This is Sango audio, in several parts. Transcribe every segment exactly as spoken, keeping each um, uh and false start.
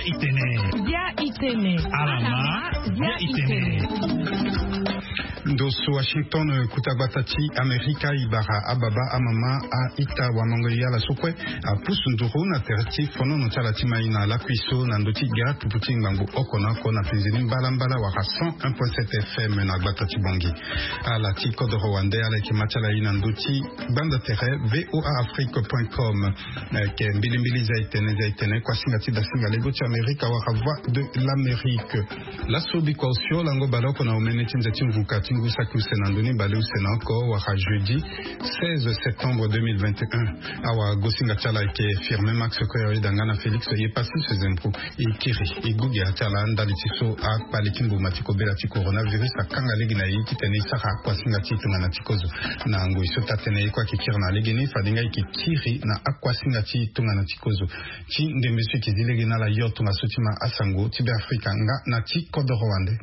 Itene. Bia itene. Alama. Bia itene. Ndo so Washington, kuta gbata ti Amerika, e bara ababa, amama, a-ita, wamango, e ala so kue apusu nduru na tere ti fonono ti ala ti mai na lakui so na ndö ti ga tupu ti ngbangbo oko na oko na penze ni mbalambala wala cent un point sept F M na gbata ti Bangui. Ala ti kodoro wande ala yeke ma ti ala ye na ndö ti gbanda tere V O A Afrique point com. Ayeke mbilimbili za itene, za itene, kuasinga ti dasinga lego ti Amerika wala Voix de l'Amérique. Laso bikua osio lango baleoko na omene ti nze ti mvuka ti ngu saki use na ndö ni baleuse na oko wala jeudi seize septembre deux mille vingt et un. Awagosinga ti ala ayeke Firmin Max Koyori Danga na Félix Yepassis Zempo. E kiri e gue ge ti ala ndali ti so akpale ti mbuma ti kobela ti coronavirus akanga lege na e titene e sara akuasinga ti tongana ti kozo. Na ngoi so taa-tënë ye kue ayeke kiri na legeni fade nga e yeke kiri na akuasinga ti tongana ti kozo. Ti ndembe so e yeke zi lege na ala yo tongaso ti ma asango ti Beafrika nga na ti kodoro wande.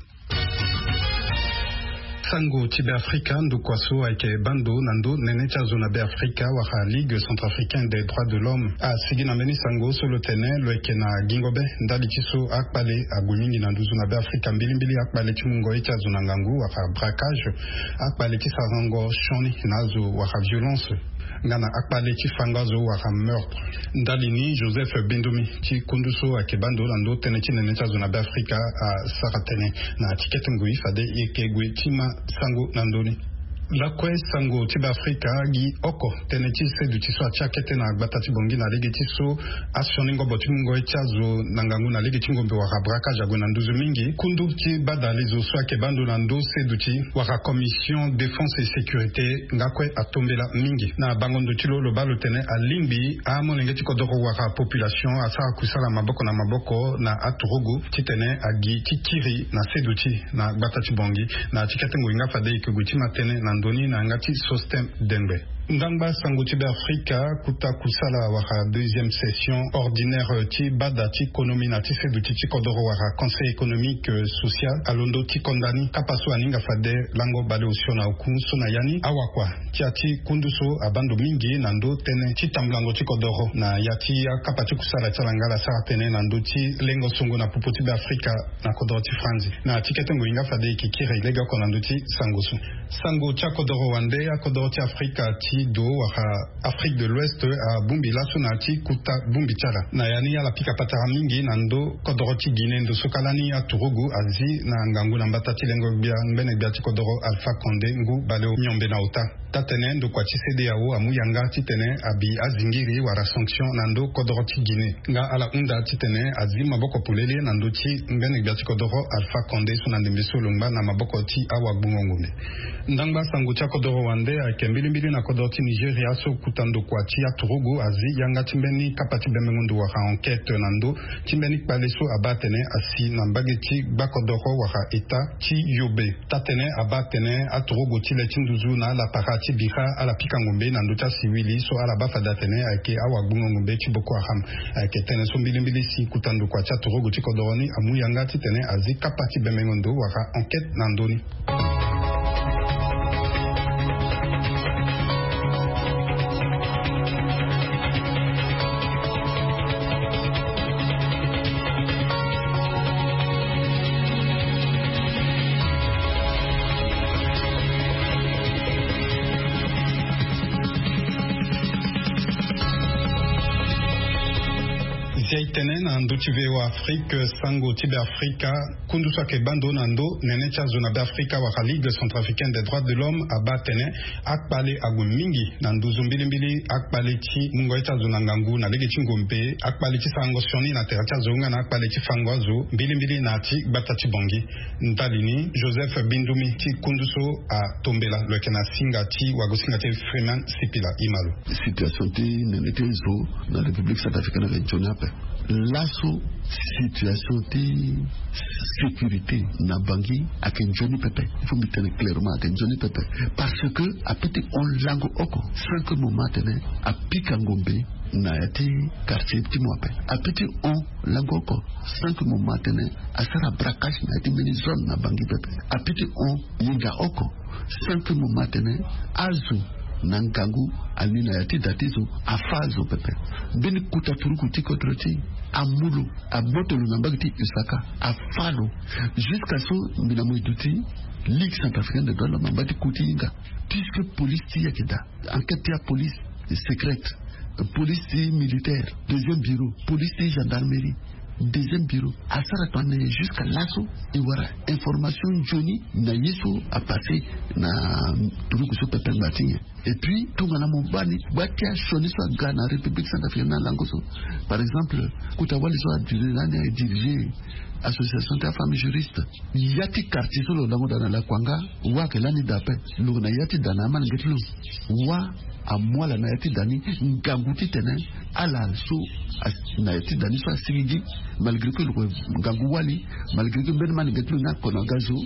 Sango ti Beafrika, ndokua so ayeke baa ndo na ndö nene ti azo na Beafrika wala Ligue Centrafricaine des Droits de l'Homme asigi na mbeni sango so lo tene lo yeke na gingo be ndali ti so akpale ague mingi na nduzu na Beafrika, mbilimbili akpale ti mungo ye ti azo na ngangu wala braquage, akpale ti sarango sioni na azo wala violence, nga na akpale ti fango azo wala meurtre. Ndali ni Joseph Bindumi ti kundu so ayeke baa ndo na ndö tënë ti nene ti azo na Beafrika asara tënë na ya ti kete ngoi fade e yeke gue ti ma sango na ndö ni. Lakue sango ti Beafrika gi oko tënë ti seduti so atia kete na gbata ti Bangui na lege ti so asioni ngobo ti mungo ye ti azo na ngangu na lege ti ngombe wala braquage ague na nduzu mingi. Kundu ti badalezo so ayeke baa ndo na ndö seduti wala Commission Défense et Sécurité nga kue atombela mingi. Na bango ndo ti lo, lo baa lo tene alingbi amolenge ti kodoro wala population asara kusala maboko na maboko na aturugu titene agi ti kiri na seduti na gbata ti Bangui. Na ya ti kete ngoi nga fade e yeke gue ti ma tënë na ndö ni na yanga ti Sosthène Dengbe. Ndangba sango ti Beafrika, kuta kusala wala deuxième session ordinaire ti bada ti konomi na ti seduti ti kodoro wala Conseil économique, euh, social alondo ti konda ni kapa so aninga fade lango baleosio na oku so na ya ni awakua ti ya ti kundu so abaa ndo mingi na ndö tënë ti tambulango ti kodoro na ya ti akapa ti kusala ti ala nga ala sara tënë na ndö ti lengo songo na popo ti Beafrika na kodoro ti Franzi. Na ya ti kete ngoi nga fade e yeke kiri legeoko na ndö ti sango so. Sango ti akodoro wande, akodoro ti Afrika ti do wala Afrique de l'Ouest abongbi laso na ya ti kuta bongbi ti ala. Na ya ni ala pika patara mingi na ndö kodoro ti Guinée ndo so kâ lani aturugu azi na ngangu na mbata ti lengo gbia ngbene gbia ti kodoro Alpha Condé ngu baleomiombe na ota. Taa-tënë ndokua ti CEDEAO amu yanga titene abi azingiri wala sanction na ndö kodoro ti Guinée. Nga ala hunda titene azi maboko polele na ndö ti ngbene gbia ti kodoro Alpha Condé so na ndembe so lo ngba na maboko ti awagbungo ngombe. Ndangba sango ti akodoro wande ayeke mbilimbili na kodoro ti Nigeria so kuta ndokua ti aturugu azi yanga ti mbeni kapa ti bembengo ndo wala enquête na ndö ti mbeni kpale so abaa atene asi na mbage ti gbakodoro wala État ti Yobe. Taa-tënë abaa atene aturugu ti le ti nduzu na alapara ti bira ala pika ngombe na ndö ti asiwili so ala baa fade atene ayeke awagbungo ngombe ti Boko Haram. Ayeke tënë so mbilimbili si kuta ndokua ti aturugu ti kodoro ni amu yanga titene azi kapa ti bembengo ndo wala enquête na ndö ni. Zia itene na ndö ti V O A Afrique, sango ti Beafrika, kundu so ayeke baa ndo na ndö nene ti azo na Beafrika wala Ligue Centrafricaine des Droits de l'Homme abaa atene akpale ague mingi na nduzu mbilimbili akpale ti mungo ye ti azo na ngangu na lege ti ngombe, akpale ti sarango sioni na tere ti azo nga na akpale ti fango azo mbilimbili na ya ti gbata ti Bangui. Ndali ni Joseph Bindumi ti kundu so atombela lo yeke na singa ti wagosinga ti Freeman Sipila. Imalo. Situation ti nene ti zo na République Centrafricaine ayeke nzoni ape. Laso situation ti sécurité na Bangui ayeke nzoni pepe. Il faut mbi tene clairement ayeke nzoni pepe. Parce que apeut ti hon lango oko sans que mo ma atene apika ngombe na ya ti quartier ti mo ape. Apeut ti hon lango oko sans que mo ma atene asara braquage na ya ti mbeni zone na Bangui pepe. Apeut ti hon hinga oko sans que mo ma atene azo Na ngangu, ani na ya ti da ti zo afa zo pepe. Mbeni kota turuku ti kodro ti amu lo, agboto lo na mbage ti usaka, afa lo. Jusqu'à so mbi na mo e duti Ligue centrafricaine des droits de l'homme amba ti ku ti hinga. Puisque police ti yeke daa, enquête ti apolice est secrète. Police ti militaire, deuxième bureau, police ti gendarmerie, deuxième bureau, asara tongana nyen jusqu'à laso e wara information nzoni na ye so apassé na turuku so pepe ngba ti nyen. Et puis tongana mo baa ni, gba ti asioni so aga na République centrafricaine na lango so, par exemple, kota wali so adiri lani adirige association ti afemme juriste. Ya ti quartier so lo lango daa na lakuanga, wa ayeke lani daa ape. Lo na ya ti da na amalenge ti lo, wa amu ala na ya ti da ni ngangu titene ala so na ya ti da ni so asigigi. Malgré que lo yeke ngangu wali, malgré que mbeni malenge ti lo ni akono aga zo,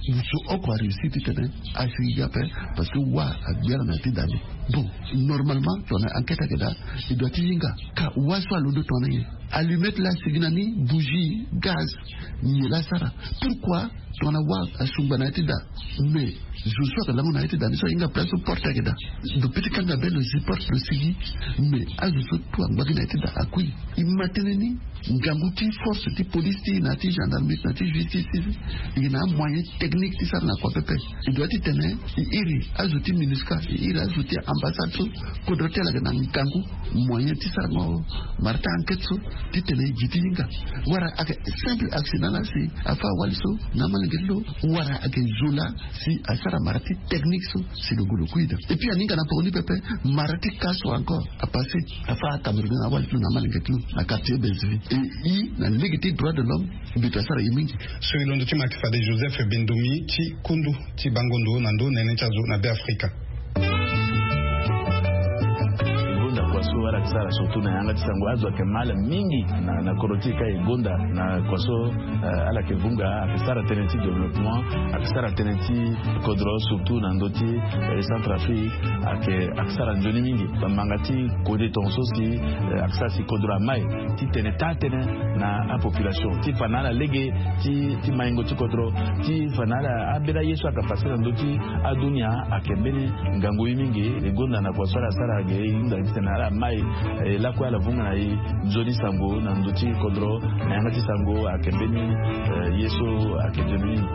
zo oko aréussir titene asigigi ape. Parce que wa agbi ala na ya ti da ni. Bon, normalement tongana enquête ayeke daa, e doit ti hinga. Ka wa so alondo tongana nyen? Allumette laa asigi na ni, bougie, gaz, nyen laa asara? Pourquoi? Tongana wa asungba na ya ti da, mais zo so ayeke lango na ya ti da ni so ahinga place so porte ayeke daa. Lo piti kanga be, lo zi porte, lo sigi. Mais azo so tout angba gi na ya ti da akui. E ma tënë ni ngangu ti force ti police ti na ti gendarmerie na ti justice ti, e na amoyen technique ti sara na kua pepe. E doit titene e iri azo ti MINUSCA, e iri azo ti ambassade so, kodro ti ala ayeke na ngangu moyen ti sarango mara ti enquête so titene e gi ti hinga. Wala ayeke simple accident laa si afa awali so na amalenge ti lo, wala ayeke zo laa si asara mara ti technique so si lo gue lo kui daa. Et puis aninga na poko ni pepe, mara ti cas so encore apassé, afa acamerounais na awali ti lo na amalenge ti lo na quartier Bellevue. E i na lege ti droit de l'homme, mbeto asara e mingi. So e londo ti ma ayeke fade Joseph Bendomi ti kundu ti bango ndo na ndo nene ti azo na Beafrika. E gonda kua so ala yeke sara surtout na yanga ti sango, azo ayeke mal mingi na, na kodro ti e ka e gonda na kua so, eh, ala yeke vunga, ayeke sara tënë ti développement, ayeke sara tënë ti kodro surtout na ndö ti, eh, Centrafrique, ayeke, ayeke sara nzoni mingi. Bamanga ti kode tongaso si, eh, ayeke sara si kodro amai titene taa tënë na apopulation ti fa na ala lege ti, ti maingo ti kodro, ti fa na ala ambeni aye so ayeke pase na ndö ti adunia ayeke mbeni ngangu ye mingi. E gonda na kua so ala sara ge, e hunda titene ala mai, eh, lakue ala vunga na e nzoni sango na ndö ti kodro, na yanga ti sango ayeke mbeni, eh, ye so ayeke nzoni mingi.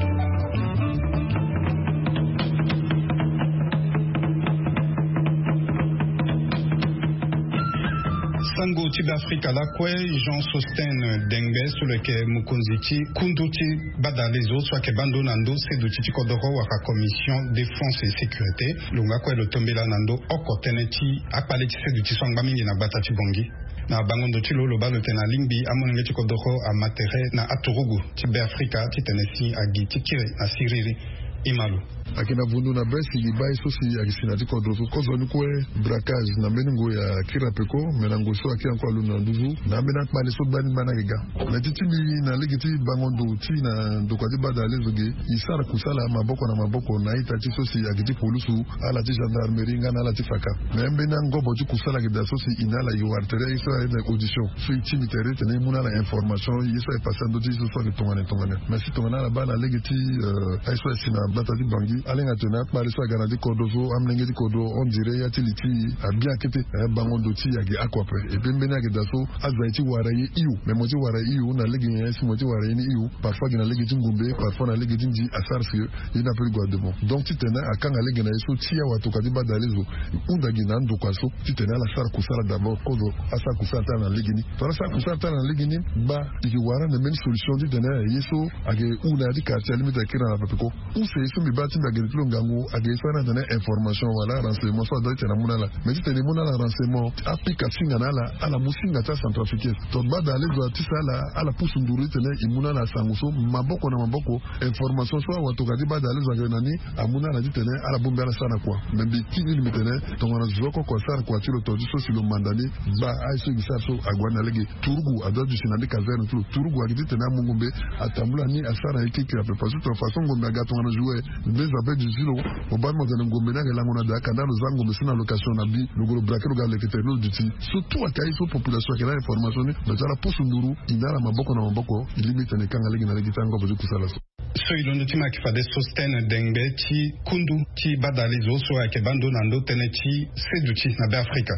Sango ti Beafrika lakue, Jean Sostène Dengbe so lo yeke mokonzi ti kundu ti badalezo so ayeke baa ndo na ndo seduti ti kodoro wala commission défense et sécurité, lo nga kue lo tombela na ndo oko tënë ti akpale ti seduti so angba mingi na gbata ti Bangui. Na bango ndo ti lo, lo baa lo tene alingbi amolenge ti kodoro ama tere na aturugu ti Beafrika titene si agi ti kiri na siriri. Ima lo. Ayeke na vundu na be si gi baa ye so si ayeke si na ya ti kodro so. Kozoni kue braquage na mbeni ngoi akiri ape ko, me na ngoi so akiri encore alondo na nduzu na ambeni akpale so gbani gbani ayeke ga. Na ti ti mbi na lege ti bango ndo ti na ndokua ti badalezo ge, e sara kusala maboko na maboko na a-ita ti so si ayeke ti polusu, ala ti gendarmerie nga na ala ti faka. Me ambeni angobo ti kusala ayeke daa so si e na ala e wara tere ye so aye na audition. So e ti mbi tere titene e mu na ala information ye so aye pase na ndö ti ye so so ayeke tongana tongana. Mais si tongana ala baa na lege ti, eh, aye so aye si na gbata ti Bangui, alenga tene akpale so aga na ti kodro so, amolenge ti kodro, on dirait ya ti li ti e abia kete. Eh, bango ndo ti e ayeke oko ape. Et puis mbeni ayeke daa so azo aye ti wara ye hio. Mais mo ti wara ye hio na lege nyen si mo ti wara ye ni hio? Parfois gi na lege ti ngumbe, parfois na lege ti nzi asara si ye ni ape ti gue ademon. Donc titene akanga lege na ye so ti awatokua ti badalezo, e hunda gi na andokua so titene ala sara kusala d'abord, kozo asara kusala ti ala na lege ni. Tongana asara kusala ti ala na lege ni, gba e ke wara ande mbeni solution titene ye so ayeke hu na ya ti quartier alingbi ti akiri na ala pepe ko. Use ye so mbi baa ti mbi ayeke na ti lo ngangu ayeke ye so a na tene information wala renseignement so adoit titene amu na ala. Mais titene e mu na ala renseignement, apika singa na ala, ala mu singa ti acentrafricain. Donc badalezo ati sa ala, ala pusu nduru titene e mu na ala sango so maboko na maboko. Information so awatokua ti badalezo ayeke na ni amu na ala titene ala bongbi ala sara na kua. Mais mbi ti ni mbi tene tongana zo oko oko asara kua ti lo tonga ti so si lo manda ni, gba aye so e ke sara so ague na lege. Turugu adoit duti na ni caserne ti lo. Turugu ayeke titene amu ngombe, atambula ni asara na ye kirikiri ape. Parce que tongana façon ngombe aga tongana jouet, nde zo ape duti ti lo. Mo baa ni mo tene ngombe ni ayeke lango na daa, kanda lo za ngombe so na location na bi, lo gue lo braquer lo ga leke tere ni lo duti. So tout ayeke aye so population ayeke na information ni. Mais ti ala pusu nduru, e na ala maboko na maboko, e lingbi titene e kanga lege na lege ti angobo ti kusala so. So e londo ti ma yeke fade Sosthène Dengbe ti kundu ti badalezo so ayeke baa ndo na ndo tënë ti seduti na Be Afrika.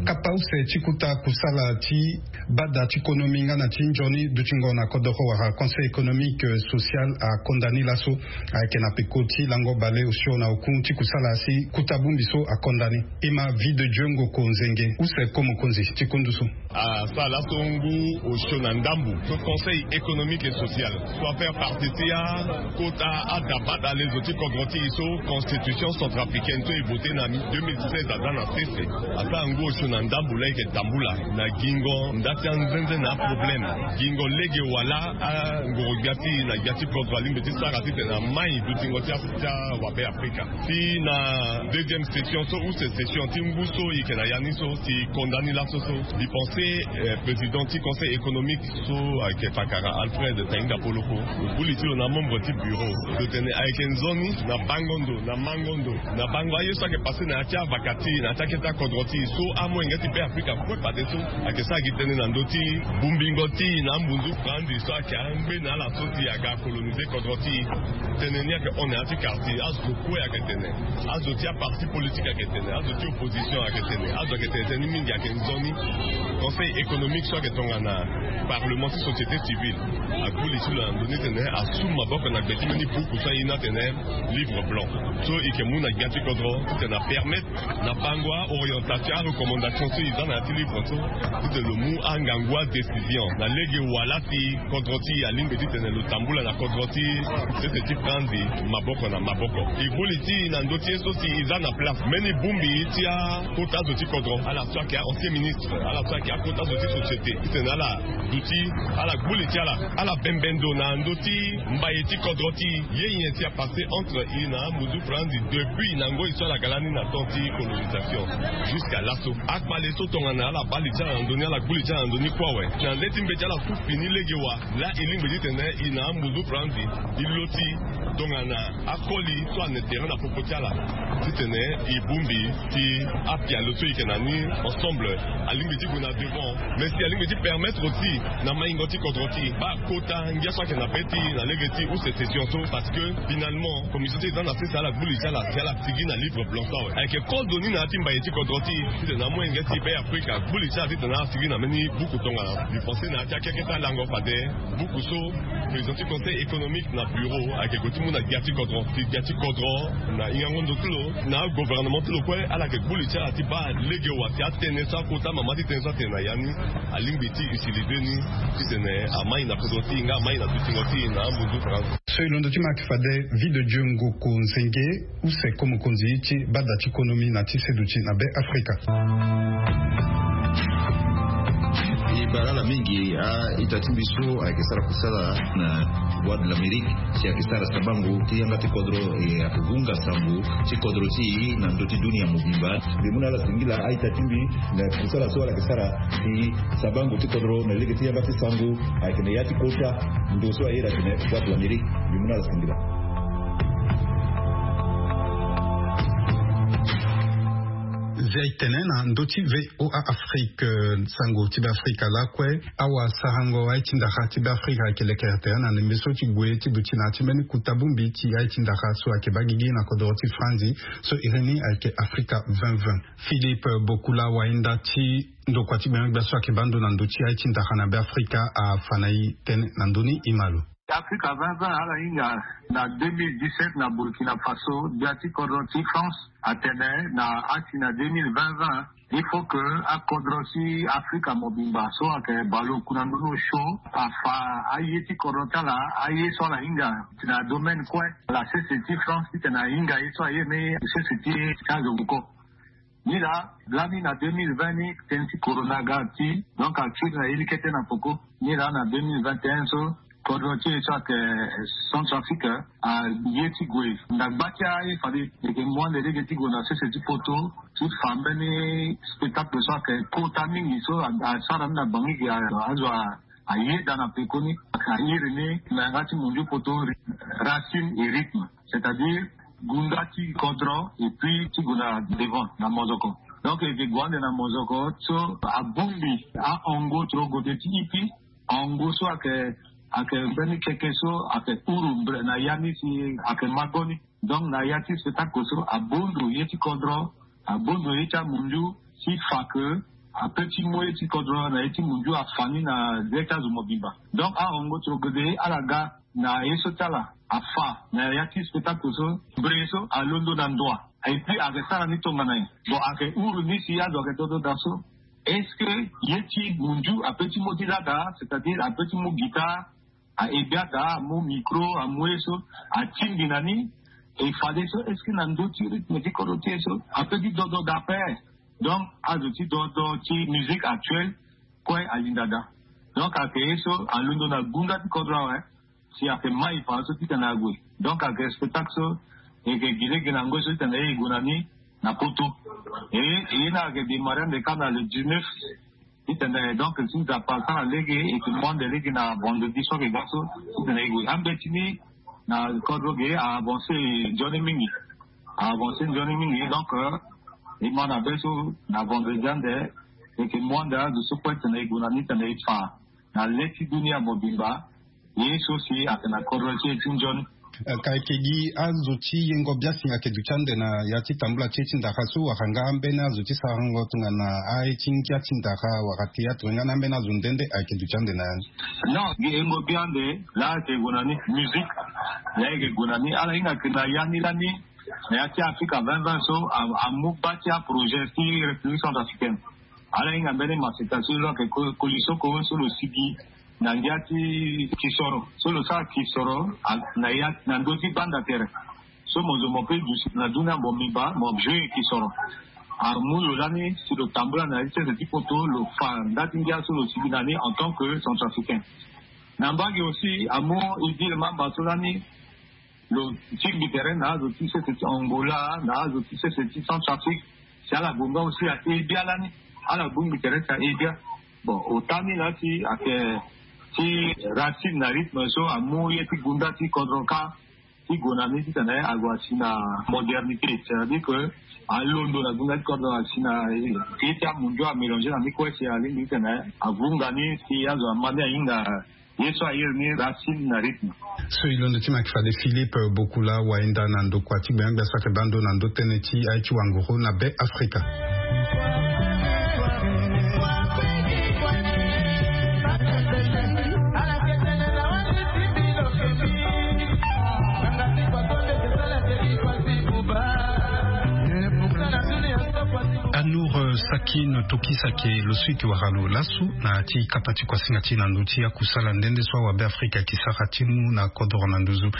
Kapa use ti kuta kusala ti bada ti konomi nga na ti nzoni dutingo na kodoro wala Conseil économique, social akonda ni laso. Ayeke na peko ti lango baleosio na oku ti kusala si kuta bongbi so akonda ni. E ma Vie de Dieu Ngoko Nzenge, use ko mokonzi ti kundu so. Asara laso ngu osio na ndambu so Conseil économique et social so afaire partie ti akota ada badalezo ti kodro ti e so constitution centrafricaine so e vote na deux mille seize aza na sese. Asara ngu osio na ndambu laa e yeke tambula na gingo nda ti anzenze na aproblème, gingo lege wala angoro gbia ti e na gbia ti kodro alingbi ti sara titene amai dutingo ti a- ti awabe Afrika. Si na deuxième session so use session ti ngu so e yeke na ya ni so si e konda ni laso so, mbi pense président ti Conseil économique so ayeke fakara Alfred Tainga Poloko, gbu li ti lo na amembre ti bureau lo tene ayeke nzoni na bango ndo na mango ndo na bango aye so ayeke passe na ya ti avaka ti e na ya ti akete akodro ti e so amolenge ti Be Afrika kue fadeso ayeke sara gi tënë na ndö ti bongbingo ti e na ambunzu franzi so ayeke angbe na ala so si aga coloniser kodro ti e. Tënë ni ayeke hon na ya ti quartier, azo kue ayeke tene, azo ti aparti politique ayeke tene, azo ti opposition ayeke tene, azo ayeke tene tënë ni mingi ayeke nzoni. Conseil économique so ayeke tongana parlement ti société civile agbu li ti lo na ndö ni tene asu maboko na gbe ti mbeni buku so aye ni atene livre blanc so e yeke mu na gbia ti kodro titene apermettre na bango aorientation arecommandation so e za na ya ti livre so titene lo mu angangu adécision na lege wala si kodro ti e alingbi titene lo tambula na kodro ti sese ti franzi maboko na maboko. E gbu li ti e na ndö ti ye so si e za na place mbeni bongbi ti akota zo ti kodro, ala so ayeke a-ancien ministre, ala so ayeke akota zo ti société titene ala duti ala gbu li ti ala ala bembe ndo na ndö ti mbaye ti kodro ti e. Ye nyen si apasse entre e na amunzu franzi depuis na ngoi so ala yeke lani na temps ti colonisation jusqu'à laso? Akpale so tongana ala baa li ti ala na ndö ni, ala gbu li ti ala na ndö ni kue awe. Na le ti mbeti ala ku fini lege wa laa e lingbi titene e na amunzu franzi e lo ti tongana akoli so ane terrain na popo ti ala titene e bongbi si apialo so e yeke na ni ensemble alingbi ti gue na devant. Mais si alingbi ti permettre aussi na maingo ti kodro ti e baa kota ngia so ayeke na be ti e na lege ti use session so, parce que finalement commission ti e za na sese ala gbu li ti ala si ala sigi na livre blanc so awe. Ayeke kozo ni na ya ti mbaye ti kodro ti e titene amolenge ti Be Afrika agbu li ti ala titene ala sigi na mbeni buku tongana. Mbi pense na ya ti akeke ti alango fade buku so président ti conseil économique na bureau ayeke gue ti mu na gbia ti kodro, si gbia ti kodro na hingango ndo ti lo na agouvernement ti lo kue ala yeke gbu li ti ala ti baa lege wa si atënë so akota mama ti tënë so atene na ya ni alingbi ti utiliser ni titene amai na kodro ti e nga amai na dutingo ti e na amunzu franzi. So e londo ti ma yeke fade Vie de Dieu Ngoko Nzenge, use ko mokonzi ti bada ti konomi na ti seduti na Be Afrika. E bara ala mingi a-ita ti mbi so ayeke sara kusala na Voix de l'Amérique, si ayeke sara sabango ti yanga ti kodro, e ayeke vunga sango ti kodro ti e na ndö ti dunia mobimba. Mbi mu na ala singila a-ita ti mbi na kusala so ala yeke sara si sabango ti kodro na lege ti yanga ti sango ayeke na ya ti kota ndo so aye atene Voix de l'Amérique. Mbi mu na ala singila. Zia e tene na ndö ti V O A Afrique, sango ti Be Afrika lakue. Awasarango aye ti ndara ti Be Afrika ayeke lekere tere na ndembe so ti gue ti duti na ya ti mbeni kota bongbi ti aye ti ndara so ayeke baa gigi na kodoro ti Franzi so iri ni ayeke Afrika vingt vingt. Philippe Bokula, wayenda ti ndokua ti gbenyogbia so ayeke baa ndo na ndö ti aye ti ndara na Be Afrika afa na e tënë na ndö ni, e ma lo. Afrika vingt vingt ala hinga na deux mille dix-sept na Burkina Faso, gbia ti kodro ti France atene na ati na deux mille vingt vingt il faut que akodro ti Afrika mobimba so ayeke baleoku na ndö ni osio afa aye ti kodro ti ala, aye so ala hinga na domaine kue. Ala sese ti France titene ahinga ye so aye ni sese ti ti azo moko. Ni laa lani na deux mille vingt ni tënë ti corona aga ti, donc akiri na ye ni kete na poko. Ni laa na deux mille vingt et un so kodro ti e so ayeke Centrafrique aye ti gue na gba ti aye fade e yeke mu ande lege ti gue na sese ti poto ti fa mbeni spectacle so ayeke kota mingi so asara ni na Bangui gi azo a ayeda na pekoni. Ayiri ni na yanga ti munju poto, racine et rythme, c'est-à-dire gunda ti kodro et puis ti gue na devant na mozoko. Donc eke gue ande na mozoko so abongbi ahongo tro gode ti ipi. Hongo so ake ake mbeni keke so ake uru na ya ni si ake mago ni. Donc na ya ti spectacle so abondu ye ti kodro, abondu ye ti amunju, si fa ke ape ti mu ye ti kodro na ye ti munju afa ni na ye ti azo mobimba. Donc ahongo tro gode ala ga na ye so ti ala afa na ya ti spectacle so, bri so alondo na ndoa. Et puis ake sara ni tongana nyen? Bon, ake uru ni si azo ake dodo daa so. Est-ce que ye ti munju ape ti mu ti lada, c'est-à-dire ape ti mu guitare, ahe gbia daa, amu micro, amu ye so, atingbi na ni? E fade so est-ce que na ndö ti rythme ti kodro ti ye so ape ti dodo daa ape? Donc azo ti dodo ti musique actuelle kue alinda daa. Donc ake ye so alondo na gunda ti kodro awe. Si ake mai fa so titene ague. Donc ake spectacle so eke gi lege na ngoi so titene e gue na ni na poto. E ye ni ake démarrer ande kâ na le dix-neuf. Titene donc si nzapa asara lege eke mu ande lege na vendredi so ake ga so titene e gue. Ambeti ni na kodro ge a avancer nzoni mingi. A avancer nzoni mingi. Donc e ma na be so na vendredi ande eke mu ande azo so kue titene e gue na ni titene e fa na le ti dunia mobimba. Ye so si ake na kodro ti e ti nzoni. Ka eke gi azo ti yengo biasinga ake duti ande na ya ti tambula ti e ti ndara so wala nga ambeni azo ti sarango tongana aye ti ngia ti ndara wala théâtre nga na ambeni azo nde nde ake duti ande na ya ni? Non, gi yengo bia ande laa ake gue na ni musique. Laa eke gue na ni ala hinga ake na ya ni lani na ya ti Africa vingt vingt so amu bâ ti aprojet ti République centrafricaine. Ala hinga mbeni maseka so lo ake koli soko so lo sigi na ngia ti kisoro so lo sara kisoro na ya na ndö ti banda tere. So mo zo mo pe duti na dunia mobimba mo jouer kisoro. Amu lo lani si lo tambula na ya ti sese ti poto lo fa nda ti ngia so lo sigi na ni en tant que centrafricain. Na mbage aussi amu Idil Mamba so lani lo tingbi tere na azo ti sese ti Angola na azo ti sese ti Centrafrique. Si ala gue nga aussi aye bia lani. Ala bongbi tere si aye bia. Bon ota ni laa si ake ti racine na rythme so amu ye ti gunda ti kodro kâ ti gue na ni titene ague asi na modernité, c'est-à-dire que alondo na gunda ti kodro asi na ye ti amunju amélanger na ni kue si alingbi titene avunga ni si azo ama ni ahinga ye so aye ni racine na rythme. So e londo ti ma yeke fade Philippe Bokula wayenda na ndokua ti gbenyo-gbia so ayeke baa ndo na ndö tënë ti aye ti wanguru na Be Afrika. Anour Sakine Tokis ayeke lo so e yeke wara lo laso na ya ti kapa ti kuasinga ti e na ndö ti akusala nde nde so awabe Afrika ayeke sara ti mu na kodoro na nduzu.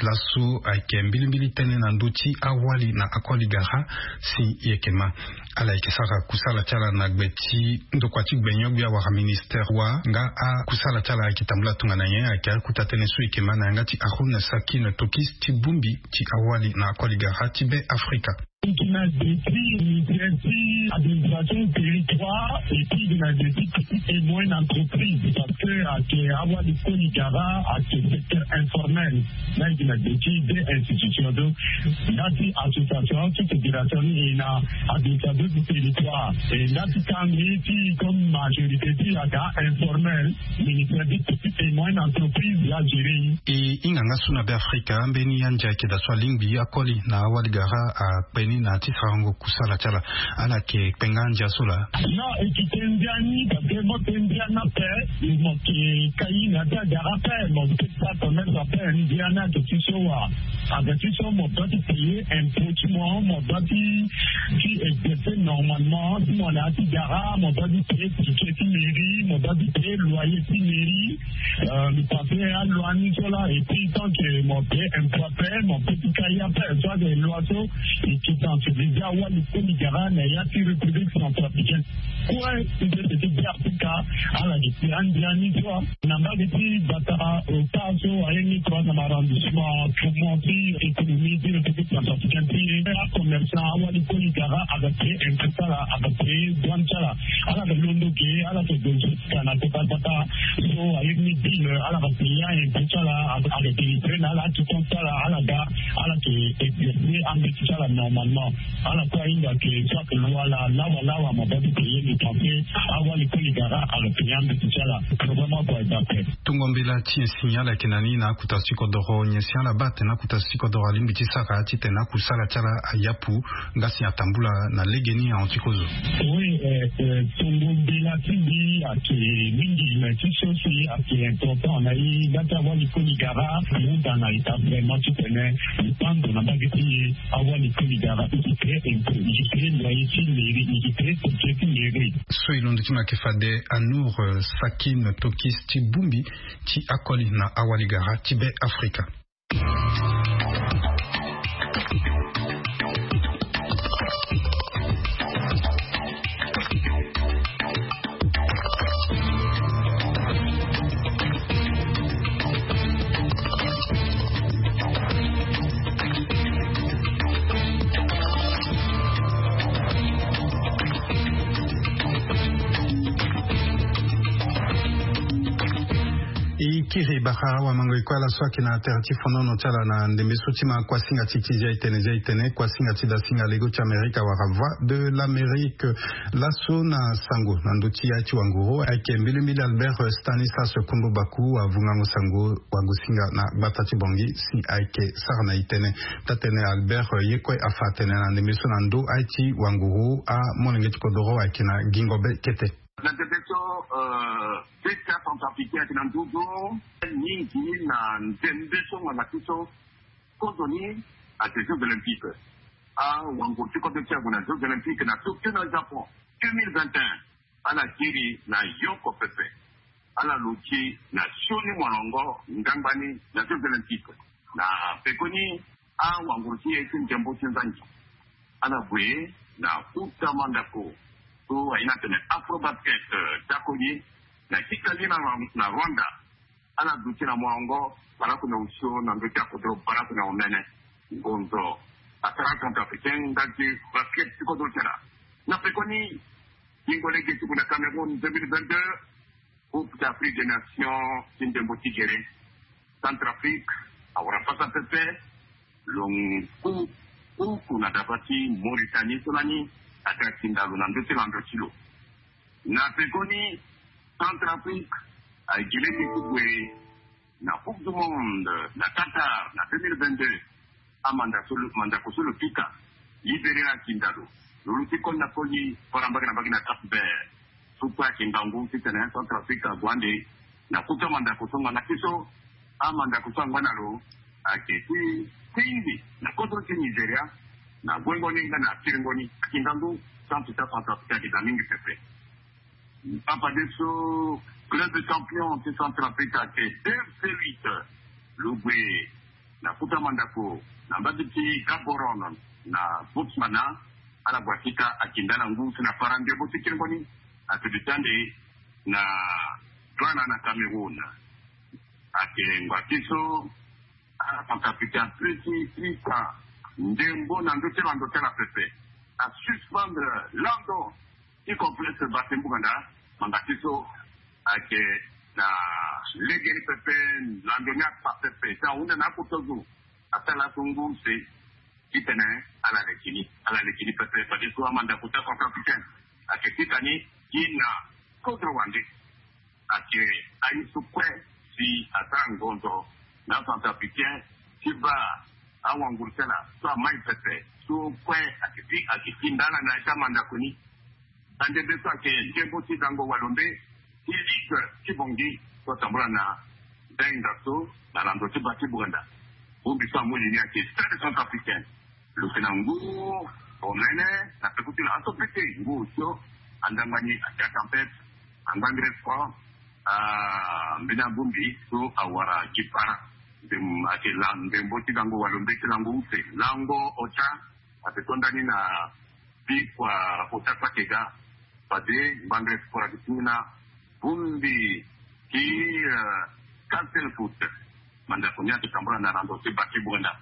Laso ayeke mbilimbili tënë na ndö ti awali na akoli gara si e yeke ma. Ala yeke sara kusala ti ala na gbe ti ndokua ti gbenyo-gbia wala ministère wa nga akusala ti ala ayeke tambula tongana nyen? Ayeke akota tënë so e yeke ma na yanga ti Haroun Sakine Tokis ti bongbi ti awali na akoli gara ti Be Afrika. E gi na gbe ti ministère ti administration territoire et puis e gi na gbe ti petite et moyenne entreprise parce que ayeke awali koli gara ayeke secteur informel. Là e gi na gbe ti deux institutions donc, ndali ti association ti fédération ni e na administration du territoire et ndali ti kangbi ti comme majorité ti ayeke informel. Ministère ti petite et moyenne entreprise la gérer. E hinga nga so na Be Afrika ambeni andia ayeke daa so alingbi akoli na awali gara akpe ni na ya ti sarango kusala ti ala. Ala yeke kpe nga andia so laa? Non, e yeke kpe ndia ni parce que mo kpe ndia ni ape. Mo yeke kai na ya ti agara ape mo peut pas connaître ape ndia ni ayeke ti so wa. Ayeke ti so mo doit ti payer impôt ti mo, mo doit ti ti exercer normalement ti mo na ya ti gara, mo doit ti payer ticket ti mairie, mo doit ti payer loyer ti mairie. Mo passe aloi ni so laa et puis tant que mo payer impôt ape mo peut ti kai ape. So ayeke loi so e yeke sensibiliser awali koli gara na ya ti République centrafricaine. Kue ti sese ti Be Afrika. Ala gi ti andi ani so na mbage ti batara ota so aye ni trois na arrondissement, comment ti économie ti république centrafricaine ti e, acommerçant awali koli gara aga te impôt ti ala, aga te douane ti ala. Ala ga londo ge, ala ga donzo ti ka na kota kota. So aye ni bill ala ga te ya impôt ti ala, aga te livrer na ala ti compte ti ala. Ala ga ala ke exercer ambeti ti ala normalement. Ala kue ahinga ke soit loi la lawa lawa ma bâ ti payer le français. Awali koli gara aga payer ambeti ti ala. Vraiment kua e bâ ape. Tongo mbela ti nyen si ala yeke na ni na akota ti kodoro? Nyen si ala bâ atene akota ti kodoro alingbi ti sara titene akusala ti ala ayapu nga si atambula na legeni ahon ti kozo? Oui, tongo mbela ti mbi ayeke mingi mais ti so si ayeke important na e nga ti awali koli gara ahuda na ita vraiment titene e pando na mbage ti e. Awali koli gara e ke créer impôt, e ke créer loyer ti mairie, e ke créer budget ti mairie. So e londo ti ma yeke fade Anour Sakin Tokis ti bongbi ti akoli na awali gara ti Be Afrika. E kiri bara awamango e kue ala so ayeke na tere ti fonono ti ala na ndembe so ti ma kuasinga ti ti zia e tene zia e tene kuasinga ti dasinga lego ti Amerika wala Voix de l'Amérique. Laso na sango na ndö ti ya ti wanguru ayeke mbilimbili Albert Stanislas Kombo Baku avungango sango wagosinga na gbata ti Bangui si ayeke sara na e tene. Taa-tene Albert ye kue afa atene na ndembe so na ndö aye ti wanguru amolenge ti kodoro ayeke na gingo be kete. Na ndembe so beta centrafricain ayeke na nduzu mingi na ndembe so ngbanga ti so kozo ni ayeke Jeux Olympiques. Awanguru ti kodro ti ague na Jeux Olympiques na Tokyo na Japon deux mille vingt et un. Ala kiri na yoko pepe. Ala luti na sioni molongo ngbangba ni na Jeux Olympiques. Na pekoni awanguru ti e ti ndembo ti nzangi ala gue na kota mandako so aye ni atene Afrobasket ti akoli na Kigali na Rwanda. Ala duti na molongo baraku na osio na ndö ti akodro baraku na omene. Ngonzo asara centrafricain ndali ti basket ti kodro ti ala. Na pekoni gingo lege ti gue na Cameroun deux mille vingt-deux, Coupe d'Afrique des Nations ti ndembo ti gere. Centrafrique awara pasa pepe. Lo ngu kuku na daba ti Mauritanie so lani aga ti ndalo na ndö ti lando ti lo. Na pekoni Centrafrique aye gi lege ti gue na Coupe du Monde na Qatar na deux mille vingt-deux. Amandako so lo pika libéré akinda lo. Lo luti koli na koli fara mbage na mbage na Cap Vert. So kue ayeke ngangu titene Centrafrique ague ande na kota mandako so ngbanga ti so amandako so angba na lo ayeke ti tingbi na kodro ti Nigeria na guengo ni nga na kiringo ni. Ayeke ngangu. Centre ti Centrafrique ayeke daa mingi pepe. Afadeso club champion ti Centrafrique ayeke deux zéro huit. Lo gue na kota mandako na mbage ti Gaborone na Botswana. Ala gue atika akinda ala ngu si na fara ndembo ti kiringo ni. Ayeke duti ande na Douala na Cameroun. Ayeke ngua ti so ala Centrafricain apesi ti ka ndembo na ndö ti lando ti ala pepe. Asuspendre lando ti complexe Basse Bouganda. Ngbanga ti so ayeke na legeni pepe. Lando ni akpa pepe si ahunda na akota zo asara laso ngu use titene ala leke ni. Ala leke ni pepe fadeso amandako ti aCentrafricain ayeke pika ni gi na kodro wande. Ayeke aye so kue si asara ngonzo na aCentrafricain ti baa awanguru ti ala so amai pepe so kue ayeke ti ayeke ti nda ala na ya ti amandako ni. Andembe so ayeke ndembo ti gango walombe ti ligue ti Bangui so atambula na ndenga so na lando ti bâ ti Bouganda. Bongbi so amu li ni ayeke Stade Centrafricain. Lo yeke na ngu omene na peko ti lo aso pete ngu osio. Andangba ni ayeke atempête. Angbangre sport. Mbeni abongbi so awara gi para. Ndem ayeke la ndembo ti gango walombe ti lango use lango ota. Ayeke to ndani na bikua ota kpakega. Fade ngbangre sport ayeke ti ni na Bumbi ti, eh, Castel Foot. Mandako ni ati tambula na rando ti baki bunda.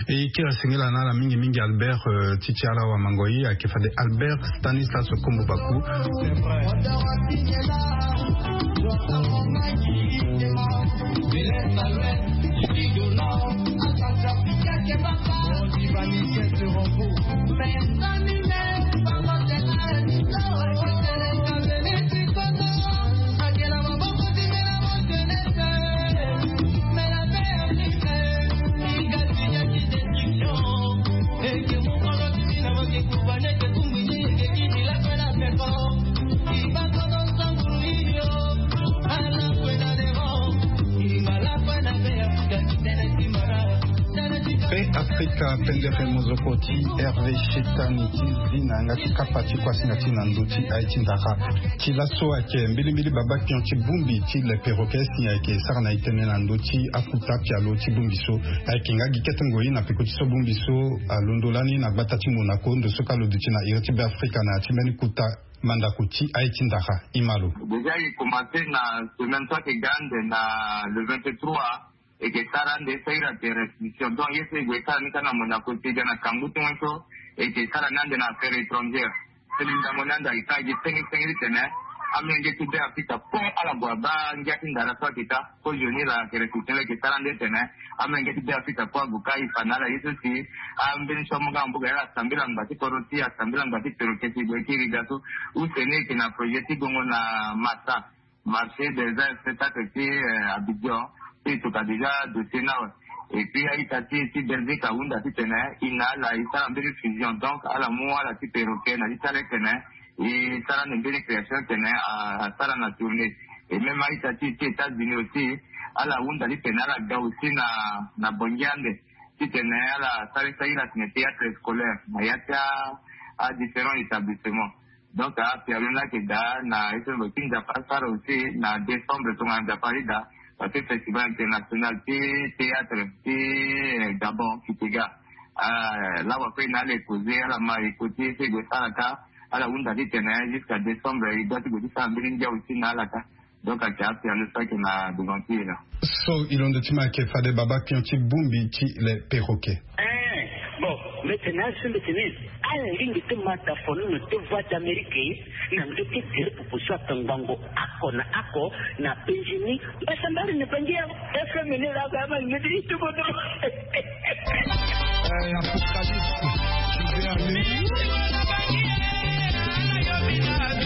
E kiri asengela na ala mingi mingi Albert, eh, ti ti ala wa mango ye ayeke fade Albert Stanislas Kombo Baku. Pe Afrika pendere mozoko ti Hervé Chetani ti zi na yanga ti kapa ti kuasinga ti na ndö ti aye ti ndara. Ti laso ayeke mbilimbili baba pion ti bongbi ti le perroquet si ayeke sara na e tene na ndö ti akuta pialo ti bongbi so. Ayeke nga gi kete ngoi na peko ti so bongbi so alondo lani na gbata ti Monaco ndo so ka lo duti na iri ti Be Afrika na ya ti mbeni kuta mandako ti aye ti ndara. Imalo. Déjà e commencé na semaine so ayeke ga ande na le vingt-trois. E ke sara ande sara ira de restitution. Donc ye so e gue sara ni ka na Monaco ti e ga na kangu ti mo so e ke sara ni ande na affaire étrangère. Seli ndango ni ande ayeke sara gi senge senge ti tene amenge ti Be Afrika kue ala gue abaa ngia ti ndara so ayeke ka. Kozoni la ke restitution la e ke sara ande tene amenge ti Be Afrika kue ague ka e fa na ala ye so si ambeni so amu nga na mbuka ye ala sambela ngba ti kodro ti e asambela ngba ti perroquet ti e gue kiri ga so. Use ni e ke na projet ti gongo na Massa. Marché des arts et spectacles ti, eh, Abidjan. Ti e toka déjà dossier ni awe. Et puis a-ita ti e ti Belgique ahunda titene e na ala e sara mbeni fusion. Donc ala mu ala ti perroquet na ti ti ala titene e sara ande mbeni création titene a, asara na tournée. Et même a-ita ti e ti États-Unis aussi ala hunda titene ala ga aussi na, na Bangui ande titene ala sara ti sara ira titene théâtre scolaire na ya ti a, a différents établissements. Donc apialo ni ayeke daa na ye so lo ti Nzapa asara aussi na décembre tongana Nzapa arida, parce que festival international ti théâtre ti, eh, Gabon, Kitega. Ah, la wa kue na ala e causer, ala ma e ko ti ye so e gue sara ka, ala hunda titene jusqu'à décembre e doit ti gue ti sara mbeni ngia aussi na ala ka. Donc ayeke apialo so ayeke na devant ti e la. So e londo ti ma ayeke fade baba pion ti bongbi ti le perroquet. Eh, bon, mbi tene aso mbi tene ala lingbi ti ma dafonono ti Voix d'Amérique na ndö ti gere popo so ayeke ngbongo oko na oko na penzi ni. Mbasambari na Bangui ya F M ni la ka ama lingbi ti tuko to. Eh, Apocalypse, tu veux aller où?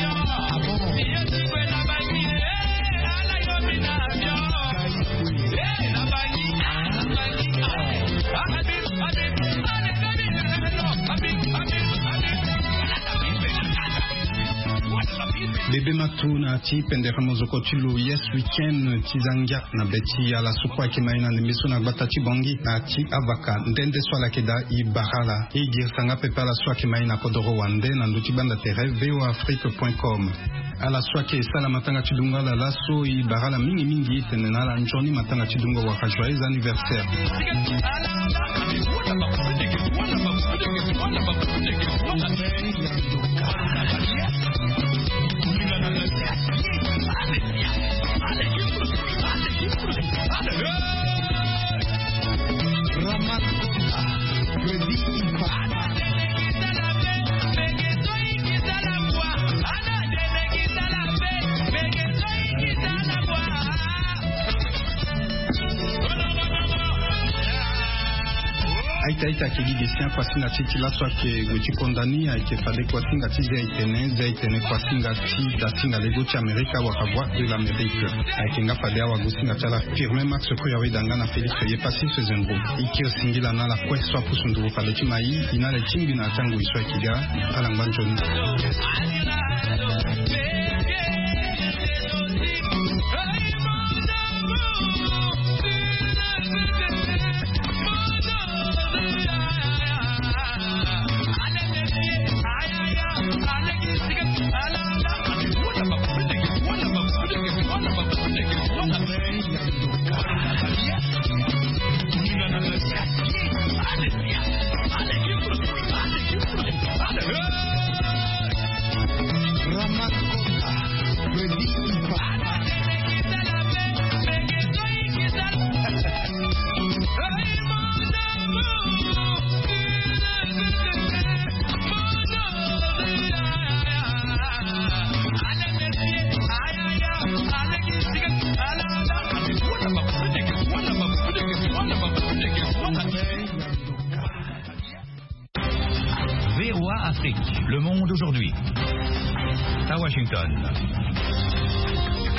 Ah bon? Bebe matu na ti pendere mozoko ti lo Yes Weekend ti za ngia na be ti ala so kue ayeke ma e na ndembe so na gbata ti Bangui na ti avaka nde nde so ala yeke daa e bara ala. E girisa nga pepe ala so ayeke ma e na kodoro wande na ndö ti gbanda tere V O A Afrique point com. Ala so ayeke sala matanga ti dungo ala laso e bara ala mingi mingi e tene na ala nzoni matanga ti dungo wala joyeux anniversaire. Aita aita ayeke gi ge si akuasinga ti e ti laso ayeke gue ti konda ni ayeke fade kuasinga ti zia etene zia etene kuasinga ti dasinga lego ti Amerika wala Voix de l'Amérique. Ayeke nga fade awagosinga ti ala Firmin Max Koyaweda nga na Félix Yepassis Fezembro. E kiri singila na ala kue so apusu nduru fade ti ma e, e na ala e tingbi na ya ti angoi so ayeke ga. Ala ngba nzoni. Le monde aujourd'hui. À Washington.